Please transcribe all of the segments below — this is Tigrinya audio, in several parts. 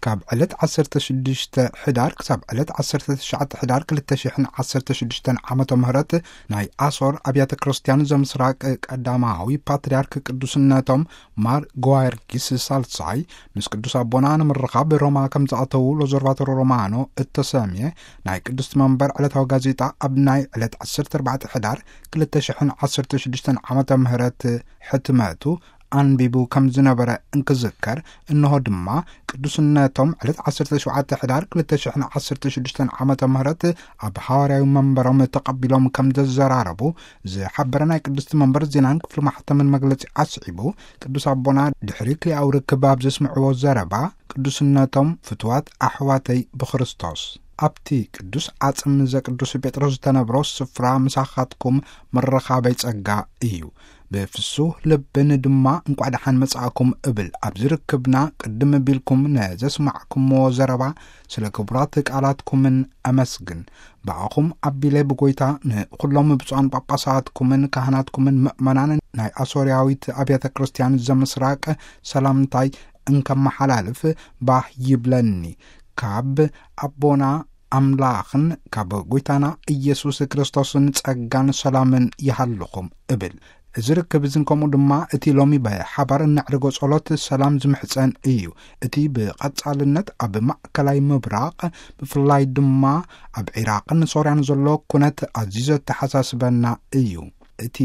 ካብ ዕለት ዓሰርተ ሽዱሽተ ሕዳር ክሳብ ዕለት ዓሰርተ ትሽዓተ ሕዳር ክልተ ሽሕን ዓሰርተ ሽዱሽተን ዓመተ ምህረት ናይ ኣሶር ኣብያተ ክርስቲያን ዘምስራቅ ቀዳማዊ ፓትርያርክ ቅዱስነቶም ማር ጓርጊስ ሳልሳይ ምስ ቅዱስ ኣቦና ንምርኻብ ሮማ ከም ዝኣተዉ ሎዞርቫቶሮ ሮማኖ እተሰምየ ናይ ቅዱስ መንበር ዕለታዊ ጋዜጣ ኣብ ናይ ዕለት ዓሰርተ ኣርባዕተ ሕዳር ክልተ ሽሕን ዓሰርተ ሽዱሽተን ዓመተ ምህረት ሕትመቱ ኣንቢቡ ከም ዝነበረ እንክዝከር፣ እንሆ ድማ ቅዱስነቶም ዕለት ዓሰርተ ሸውዓተ ሕዳር ክልተ ሽሕን ዓሰርተ ሽዱሽተን ዓመተ ምህረት ኣብ ሃዋርያዊ መንበሮም ተቐቢሎም ከም ዘዘራረቡ ዝሓበረ ናይ ቅድስቲ መንበር ዜናን ክፍሊ ማሕተምን መግለጺ ኣስዒቡ፣ ቅዱስ ኣቦና ድሕሪ ክልኣዊ ርክብ ኣብ ዘስምዕዎ ዘረባ፣ ቅዱስነቶም ፍትዋት ኣሕዋተይ ብክርስቶስ፣ ኣብቲ ቅዱስ ዓጽም ዘቅዱስ ጴጥሮስ ዝተነብሮ ስፍራ ምሳኻትኩም ምርኻበይ ጸጋ እዩ። ብፍሱህ ልብን ድማ እንቋዕ ደሓን መጻእኩም እብል። ኣብዚ ርክብና ቅድም ቢልኩም ነዘስማዕኩምዎ ዘረባ ስለ ክቡራት ቃላትኩምን ኣመስግን። ብኣኹም ኣቢለ ብጎይታ ንኹሎም ብፁዓን ጳጳሳትኩምን ካህናትኩምን ምእመናን ናይ ኣሶርያዊት ኣብያተ ክርስቲያን ዘምስራቅ ሰላምታይ እንከመሓላልፍ ባህ ይብለኒ። ካብ ኣቦና ኣምላኽን ካብ ጎይታና ኢየሱስ ክርስቶስን ጸጋን ሰላምን ይሃልኹም እብል። እዚ ርክብ እዝን ከምኡ ድማ እቲ ሎሚ ብሓባር እነዕርጎ ጸሎት ሰላም ዝምሕጸን እዩ። እቲ ብቐጻልነት ኣብ ማእከላይ ምብራቕ፣ ብፍላይ ድማ ኣብ ዒራቕን ሶርያን ዘሎ ኩነት ኣዝዩ ዘተሓሳስበና እዩ። እቲ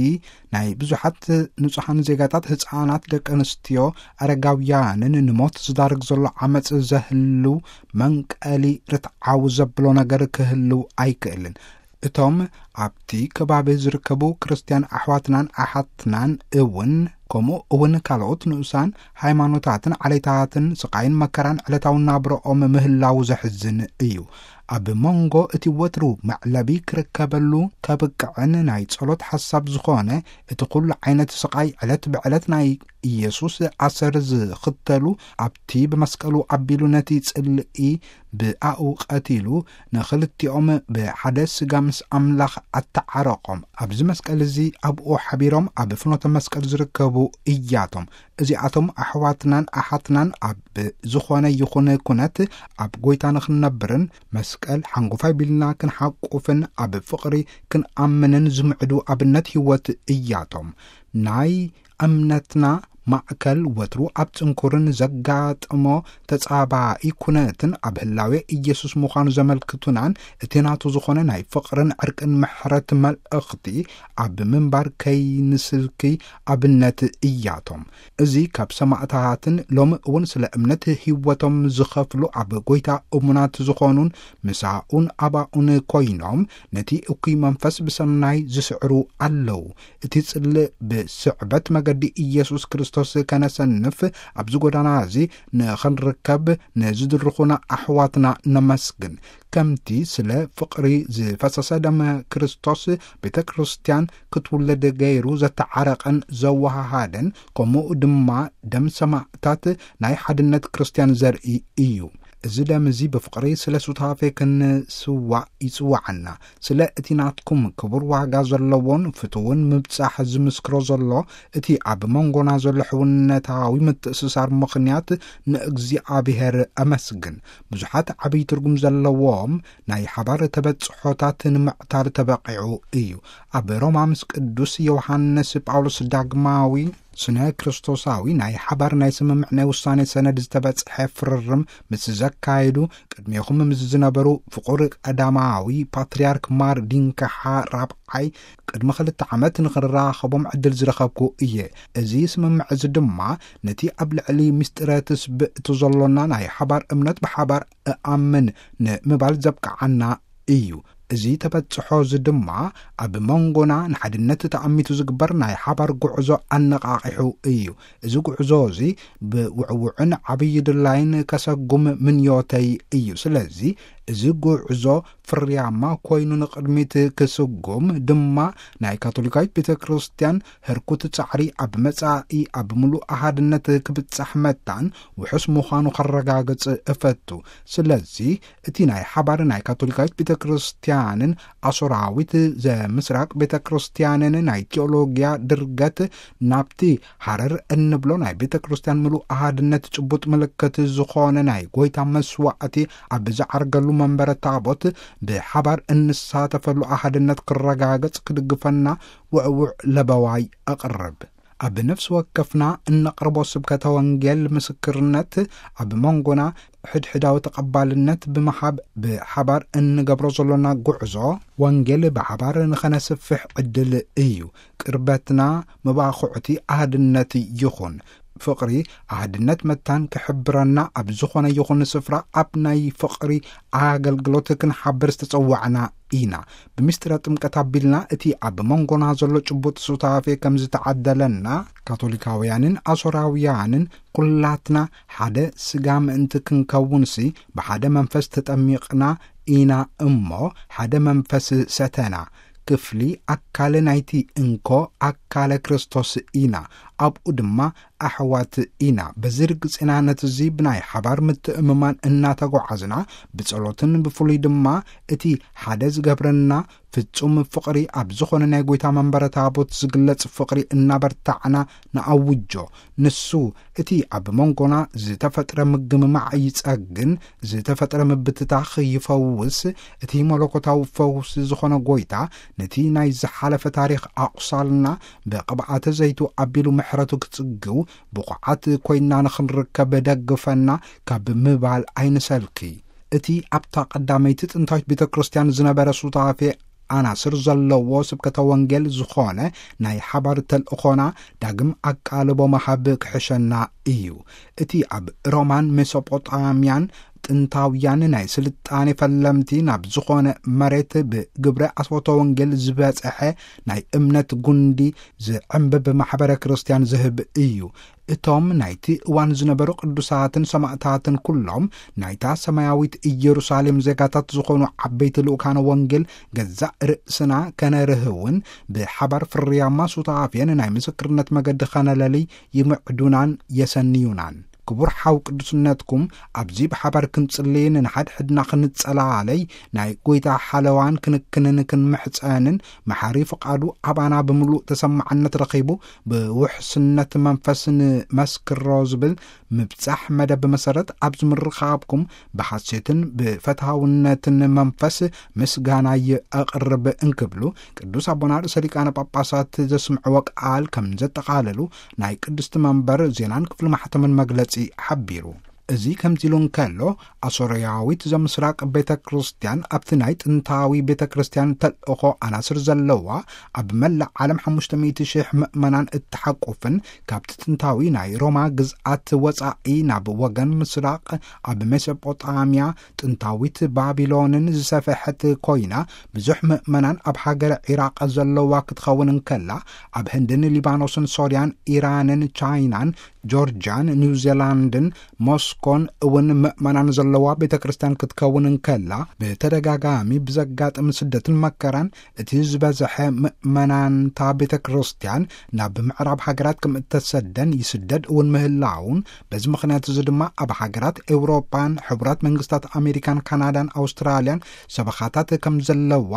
ናይ ብዙሓት ንጹሃን ዜጋታት፣ ህጻናት፣ ደቂ ኣንስትዮ፣ ኣረጋውያንን ንሞት ዝዳርግ ዘሎ ዓመጽ ዘህልው መንቀሊ ርትዓዊ ዘብሎ ነገር ክህልው ኣይክእልን። እቶም ኣብቲ ከባቢ ዝርከቡ ክርስትያን ኣሕዋትናን ኣሓትናን እውን፣ ከምኡ እውን ካልኦት ንኡሳን ሃይማኖታትን ዓሌታትን ስቓይን መከራን ዕለታዊ ናብረኦም ምህላው ዘሕዝን እዩ። ኣብ መንጎ እቲ ወትሩ መዕለቢ ክርከበሉ ከብቅዕን ናይ ጸሎት ሓሳብ ዝኾነ እቲ ኩሉ ዓይነት ስቓይ ዕለት ብዕለት ናይ ኢየሱስ ኣሰር ዝኽተሉ፣ ኣብቲ ብመስቀሉ ኣቢሉ ነቲ ጽልኢ ብኣኡ ቀቲሉ ንኽልቲኦም ብሓደ ስጋ ምስ ኣምላኽ ኣተዓረቖም። ኣብዚ መስቀል እዚ ኣብኡ ሓቢሮም ኣብ ፍኖተ መስቀል ዝርከቡ እያቶም። እዚኣቶም ኣሕዋትናን ኣሓትናን ኣብ ዝኾነ ይኹን ኩነት ኣብ ጎይታ ንኽንነብርን መስቀል ሓንጎፋይ ቢልና ክንሓቁፍን ኣብ ፍቕሪ ክንኣምንን ዝምዕዱ ኣብነት ህይወት እያቶም። ናይ እምነትና ማእከል ወትሩ ኣብ ጽንኩርን ዘጋጥሞ ተጻባኢ ኩነትን ኣብ ህላዌ ኢየሱስ ምዃኑ ዘመልክቱናን እቲ ናቱ ዝኾነ ናይ ፍቕርን ዕርቅን ምሕረት መልእኽቲ ኣብ ምንባር ከይንስልኪ ኣብነት እያቶም። እዚ ካብ ሰማእታትን ሎሚ እውን ስለ እምነት ህይወቶም ዝኸፍሉ ኣብ ጎይታ እሙናት ዝኾኑን ምሳኡን ኣባኡን ኮይኖም ነቲ እኩይ መንፈስ ብሰናይ ዝስዕሩ ኣለዉ። እቲ ጽልእ ብስዕበት መገዲ ኢየሱስ ክርስቶስ ከነሰንፍ ኣብዚ ጎዳና እዚ ንኽንርከብ ንዝድርኹና ኣሕዋትና ነመስግን። ከምቲ ስለ ፍቕሪ ዝፈሰሰ ደመ ክርስቶስ ቤተ ክርስቲያን ክትውለድ ገይሩ ዘተዓረቐን ዘወሃሃደን፣ ከምኡ ድማ ደም ሰማእታት ናይ ሓድነት ክርስቲያን ዘርኢ እዩ። እዚ ደም እዚ ብፍቕሪ ስለ ሱታፌ ክንስዋእ ይጽውዓና። ስለ እቲ ናትኩም ክቡር ዋጋ ዘለዎን ፍቱውን ምብጻሕ ዝምስክሮ ዘሎ፣ እቲ ኣብ መንጎና ዘሎ ሕውነታዊ ምትእስሳር ምኽንያት ንእግዚኣብሔር ኣመስግን። ብዙሓት ዓብዪ ትርጉም ዘለዎም ናይ ሓባር ተበጽሖታት ንምዕታር ተበቒዑ እዩ። ኣብ ሮማ ምስ ቅዱስ ዮሃንስ ጳውሎስ ዳግማዊ ስነ ክርስቶሳዊ ናይ ሓባር ናይ ስምምዕ ናይ ውሳኔ ሰነድ ዝተበጽሐ ፍርርም ምስ ዘካየዱ፣ ቅድሜኹም ምስ ዝነበሩ ፍቑር ቀዳማዊ ፓትርያርክ ማር ዲንከሓ ራብዓይ ቅድሚ ክልተ ዓመት ንኽራኸቦም ዕድል ዝረኸብኩ እየ። እዚ ስምምዕ እዚ ድማ ነቲ ኣብ ልዕሊ ምስጢረ ትስብእቲ ዘሎና ናይ ሓባር እምነት ብሓባር እኣምን ንምባል ዘብቅዓና እዩ። እዚ ተበጽሖ እዚ ድማ ኣብ መንጎና ንሓድነት ተኣሚቱ ዝግበር ናይ ሓባር ጉዕዞ ኣነቓቒሑ እዩ። እዚ ጉዕዞ እዚ ብውዕውዕን ዓብዪ ድላይን ከሰጉም ምንዮተይ እዩ። ስለዚ እዚ ጉዕዞ ፍርያማ ኮይኑ ንቕድሚት ክስጉም ድማ ናይ ካቶሊካዊት ቤተ ክርስቲያን ህርኩት ጻዕሪ ኣብ መጻኢ ኣብ ምሉእ ኣሃድነት ክብጻሕ መታን ውሑስ ምዃኑ ከረጋግጽ እፈቱ። ስለዚ እቲ ናይ ሓባር ናይ ካቶሊካዊት ቤተ ክርስቲያንን ኣሶራዊት ዘምስራቅ ቤተ ክርስቲያንን ናይ ቴኦሎጊያ ድርገት ናብቲ ሃረር እንብሎ ናይ ቤተ ክርስቲያን ምሉእ ኣሃድነት ጭቡጥ ምልክት ዝኾነ ናይ ጎይታ መስዋዕቲ ኣብ ዝዓርገሉ መንበረ ታቦት ብሓባር እንሳተፈሉ ኣሃድነት ክረጋገጽ ክድግፈና ውዕውዕ ለበዋይ ኣቕርብ። ኣብ ነፍሲ ወከፍና እነቕርቦ ስብከተ ወንጌል ምስክርነት ኣብ መንጎና ሕድሕዳዊ ተቐባልነት ብምሃብ ብሓባር እንገብሮ ዘሎና ጉዕዞ ወንጌል ብሓባር ንኸነስፍሕ ዕድል እዩ። ቅርበትና መባኹዕቲ ኣህድነት ይኹን። ፍቕሪ ኣህድነት መታን ክሕብረና ኣብ ዝኾነ ይኹን ስፍራ ኣብ ናይ ፍቕሪ ኣገልግሎት ክንሓብር ዝተጸዋዕና ኢና። ብምስጢረ ጥምቀት ኣቢልና እቲ ኣብ መንጎና ዘሎ ጭቡጥ ሱታፌ ከም ዝተዓደለና ካቶሊካውያንን ኣሶራውያንን ኩላትና ሓደ ስጋ ምእንቲ ክንከውንሲ ብሓደ መንፈስ ተጠሚቕና ኢና እሞ ሓደ መንፈስ ሰተና። ክፍሊ ኣካል ናይቲ እንኮ ኣካለ ክርስቶስ ኢና። ኣብኡ ድማ ኣሕዋት ኢና። በዚ ርግጽና ነቲ እዚ ብናይ ሓባር ምትእምማን እናተጓዓዝና ብጸሎትን ብፍሉይ ድማ እቲ ሓደ ዝገብረና ፍጹም ፍቕሪ ኣብ ዝኾነ ናይ ጎይታ መንበረ ታቦት ዝግለጽ ፍቕሪ እናበርታዕና ንኣውጆ። ንሱ እቲ ኣብ መንጎና ዝተፈጥረ ምግምማዕ ይጸግን፣ ዝተፈጥረ ምብትታኽ ይፈውስ። እቲ መለኮታዊ ፈውሲ ዝኾነ ጎይታ ነቲ ናይ ዝሓለፈ ታሪኽ ኣቑሳልና ብቕብኣተ ዘይቱ ኣቢሉ ምሕረቱ ክጽግው ብቑዓት ኮይንና ንኽንርከብ ደግፈና ካብ ምባል ኣይንሰልኪ። እቲ ኣብታ ቀዳመይቲ ጥንታዊት ቤተ ክርስቲያን ዝነበረ ሱታፌ ኣናስር ዘለዎ ስብከተ ወንጌል ዝኾነ ናይ ሓባር ተልእኾና ዳግም ኣቃልቦ መሃብ ክሕሸና እዩ። እቲ ኣብ ሮማን ሜሶጶጣምያን ጥንታውያን ናይ ስልጣኔ ፈለምቲ ናብ ዝኾነ መሬት ብግብረ ኣስቦተ ወንጌል ዝበጽሐ ናይ እምነት ጉንዲ ዝዕምብብ ማሕበረ ክርስቲያን ዝህብ እዩ። እቶም ናይቲ እዋን ዝነበሩ ቅዱሳትን ሰማእታትን ኩሎም ናይታ ሰማያዊት ኢየሩሳሌም ዜጋታት ዝኾኑ ዓበይቲ ልኡካነ ወንጌል ገዛእ ርእስና ከነርህውን ብሓባር ፍርያማ ሱታፌን ናይ ምስክርነት መገዲ ኸነለሊ ይምዕዱናን የሰንዩናን። ክቡር ሓው ቅዱስነትኩም ኣብዚ ብሓባር ክንጽልይን ንሓድሕድና ክንጸላለይ ናይ ጎይታ ሓለዋን ክንክንን ክንምሕጸንን መሓሪ ፍቓዱ ኣባና ብምሉእ ተሰማዕነት ረኺቡ ብውሕስነት መንፈስ ንመስክሮ ዝብል ምብጻሕ መደብ መሰረት ኣብዚ ምርኻብኩም ብሓሴትን ብፈትሃውነትን መንፈስ ምስጋናይ ኣቕርብ እንክብሉ ቅዱስ ኣቦና ርእሰ ሊቃነ ጳጳሳት ዘስምዕዎ ቃል ከም ዘጠቓለሉ ናይ ቅድስቲ መንበር ዜናን ክፍሊ ማሕተምን መግለጺ ሓቢሩ። እዚ ከምዚ ኢሉ እንከሎ ኣሶርያዊት ዘምስራቅ ቤተ ክርስቲያን ኣብቲ ናይ ጥንታዊ ቤተ ክርስቲያን ተልእኾ ኣናስር ዘለዋ ኣብ መላእ ዓለም ሓሙሽተ ሚእቲ ሽሕ ምእመናን እትሓቁፍን ካብቲ ጥንታዊ ናይ ሮማ ግዝኣት ወጻኢ ናብ ወገን ምስራቅ ኣብ ሜሶጶጣምያ ጥንታዊት ባቢሎንን ዝሰፈሐት ኮይና ብዙሕ ምእመናን ኣብ ሃገረ ዒራቅ ዘለዋ ክትኸውን እንከላ ኣብ ህንድን ሊባኖስን ሶርያን ኢራንን ቻይናን ጆርጅያን ኒውዚላንድን ሞስኮን እውን ምእመናን ዘለዋ ቤተ ክርስቲያን ክትከውን እንከላ ብተደጋጋሚ ብዘጋጥም ስደትን መከራን እቲ ዝበዝሐ ምእመናንታ ቤተ ክርስቲያን ናብ ምዕራብ ሃገራት ከም እተሰደን ይስደድ እውን ምህላውን በዚ ምኽንያት እዚ ድማ ኣብ ሃገራት ኤውሮጳን ሕቡራት መንግስታት ኣሜሪካን ካናዳን ኣውስትራልያን ሰበኻታት ከም ዘለዋ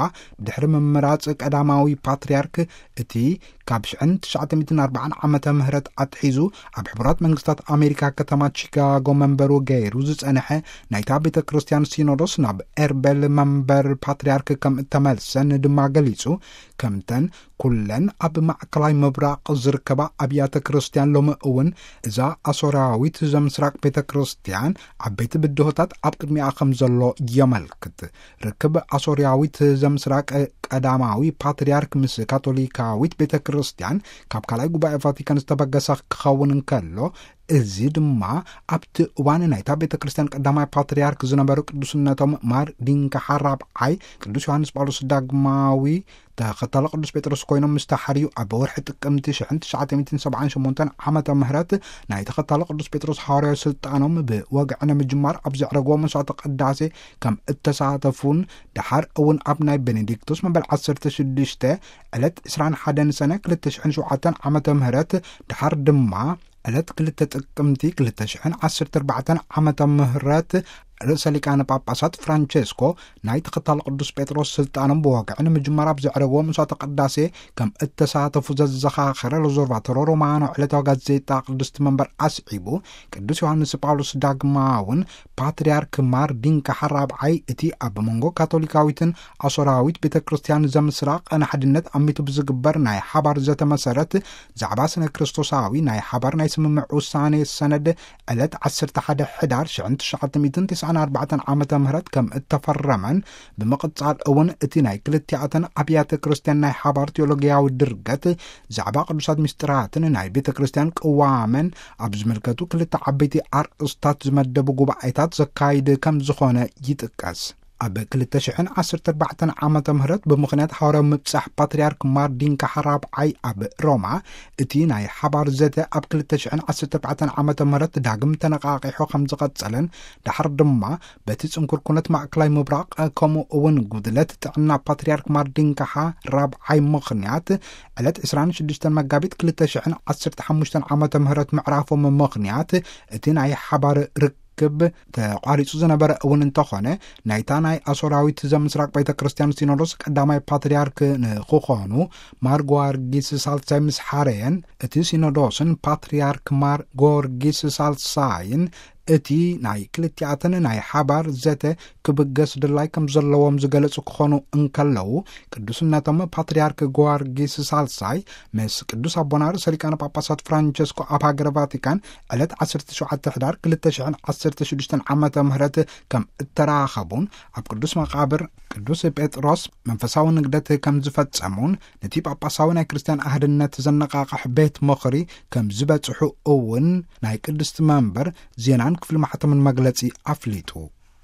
ድሕሪ ምምራጽ ቀዳማዊ ፓትርያርክ እቲ ካብ ሽሕን ትሽዓተ ሚእትን ኣርባዓን ዓመተ ምህረት ኣትሒዙ ኣብ ሕቡራት መንግስታት ኣሜሪካ ከተማ ቺካጎ መንበሩ ገይሩ ዝጸንሐ ናይታ ቤተ ክርስቲያን ሲኖዶስ ናብ ኤርቤል መንበር ፓትርያርክ ከም እተመልሰን ድማ ገሊጹ። ከምተን ኩለን ኣብ ማእከላይ ምብራቕ ዝርከባ ኣብያተ ክርስቲያን ሎሚ እውን እዛ ኣሶርያዊት ዘምስራቅ ቤተ ክርስቲያን ዓበይቲ ብድሆታት ኣብ ቅድሚኣ ከም ዘሎ የመልክት። ርክብ ኣሶርያዊት ዘምስራቅ ቀዳማዊ ፓትርያርክ ምስ ካቶሊካዊት ቤተ ክርስቲያን ካብ ካልኣይ ጉባኤ ቫቲካን ዝተበገሰ ክኸውን እንከሎ እዚ ድማ ኣብቲ እዋን ናይታ ቤተ ክርስቲያን ቀዳማይ ፓትርያርክ ዝነበሩ ቅዱስነቶም ማር ዲንካሓ ራብዓይ ቅዱስ ዮሃንስ ጳውሎስ ዳግማዊ ተኸታሊ ቅዱስ ጴጥሮስ ኮይኖም ምስ ተሓርዩ፣ ኣብ ወርሒ ጥቅምቲ ሽሕን ትሽዓተ ሚእትን ሰብዓን ሸሞንተን ዓመተ ምህረት ናይ ተኸታሊ ቅዱስ ጴጥሮስ ሃዋርያዊ ስልጣኖም ብወግዒ ንምጅማር ኣብ ዘዕረግዎ መስዋዕተ ቅዳሴ ከም እተሳተፉን፣ ደሓር እውን ኣብ ናይ ቤኔዲክቶስ መበል ዓሰርተ ሽዱሽተ ዕለት ዕስራን ሓደን ሰነ ክልተ ሽሕን ሸውዓተን ዓመተ ምህረት፣ ደሓር ድማ ዕለት ክልተ ጥቅምቲ ክልተ ሽሕን ዓሰርተ ኣርባዕተን ዓመተ ምህረት፣ ርእሰ ሊቃነ ጳጳሳት ፍራንቸስኮ ናይ ተኸታሊ ቅዱስ ጴጥሮስ ስልጣኖም ብወግዒ ንምጅማር ኣብ ዘዕረግዎ መስዋዕተ ቅዳሴ ከም እተሳተፉ ዘዘኻኸረ ሎዞርቫቶሮ ሮማኖ ዕለታዊ ጋዜጣ ቅድስቲ መንበር ኣስዒቡ፣ ቅዱስ ዮሃንስ ጳውሎስ ዳግማውን ፓትርያርክ ማር ዲንካሓ ራብዓይ እቲ ኣብ መንጎ ካቶሊካዊትን ኣሶራዊት ቤተ ክርስቲያን ዘምስራ ቅነ ሓድነት ኣሚቱ ብዝግበር ናይ ሓባር ዘተ መሰረት፣ ዛዕባ ስነ ክርስቶሳዊ ናይ ሓባር ናይ ስምምዕ ውሳኔ ሰነድ ዕለት ዓሰርተ ሓደ ሕዳር ሽሕን ትሽዓተ ሚእትን ትስዓን ኣርባዕተን ዓመተ ምህረት ከም እተፈረመን፣ ብምቕጻል እውን እቲ ናይ ክልቲኣተን ኣብያተ ክርስቲያን ናይ ሓባር ቴዎሎጊያዊ ድርገት፣ ዛዕባ ቅዱሳት ምስጢራትን ናይ ቤተ ክርስቲያን ቅዋመን ኣብ ዝምልከቱ ክልተ ዓበይቲ ኣርእስታት ዝመደቡ ጉባኤታት ዘካይድ ከም ዝኾነ ይጥቀስ። ኣብ ክልተ ሽሕን ዓሰርተ ኣርባዕተን ዓመተ ምህረት ብምኽንያት ሃዋርያዊ ምብጻሕ ፓትርያርክ ማር ዲንካሓ ራብዓይ ኣብ ሮማ፣ እቲ ናይ ሓባር ዘተ ኣብ ክልተ ሽሕን ዓሰርተ ኣርባዕተን ዓመተ ምህረት ዳግም ተነቓቒሑ ከም ዝቐጸለን፣ ደሓር ድማ በቲ ጽንኩር ኩነት ማእከላይ ምብራቕ፣ ከምኡ እውን ጉድለት ጥዕና ፓትርያርክ ማር ዲንካሓ ራብዓይ ምኽንያት፣ ዕለት ዕስራን ሽዱሽተን መጋቢት ክልተ ሽሕን ዓሰርተ ሓሙሽተን ዓመተ ምህረት ምዕራፎም ምኽንያት፣ እቲ ናይ ሓባር ርክብ ተቋሪጹ ዝነበረ እውን እንተኾነ፣ ናይታ ናይ ኣሶራዊት ዘምስራቅ ቤተ ክርስቲያን ሲኖዶስ ቀዳማይ ፓትርያርክ ንክኾኑ ማር ጊዮርጊስ ሳልሳይ ምስ ሓረየን፣ እቲ ሲኖዶስን ፓትርያርክ ማር ጊዮርጊስ ሳልሳይን እቲ ናይ ክልቲኣተን ናይ ሓባር ዘተ ክብገስ ድላይ ከም ዘለዎም ዝገለጹ ክኾኑ እንከለዉ፣ ቅዱስነቶም ፓትርያርክ ጊዮርጊስ ሳልሳይ ምስ ቅዱስ ኣቦና ርእሰ ሊቃነ ጳጳሳት ፍራንቸስኮ ኣብ ሃገረ ቫቲካን ዕለት ዓሰርተ ሸውዓተ ሕዳር ክልተ ሽሕን ዓሰርተ ሽዱሽተን ዓመተ ምህረት ከም እተራኸቡን፣ ኣብ ቅዱስ መቓብር ቅዱስ ጴጥሮስ መንፈሳዊ ንግደት ከም ዝፈጸሙን፣ ነቲ ጳጳሳዊ ናይ ክርስቲያን ኣህድነት ዘነቓቕሕ ቤት ምኽሪ ከም ዝበጽሑ እውን ናይ ቅድስቲ መንበር ዜናን ክፍሊ ማሕተምን መግለጺ ኣፍሊጡ።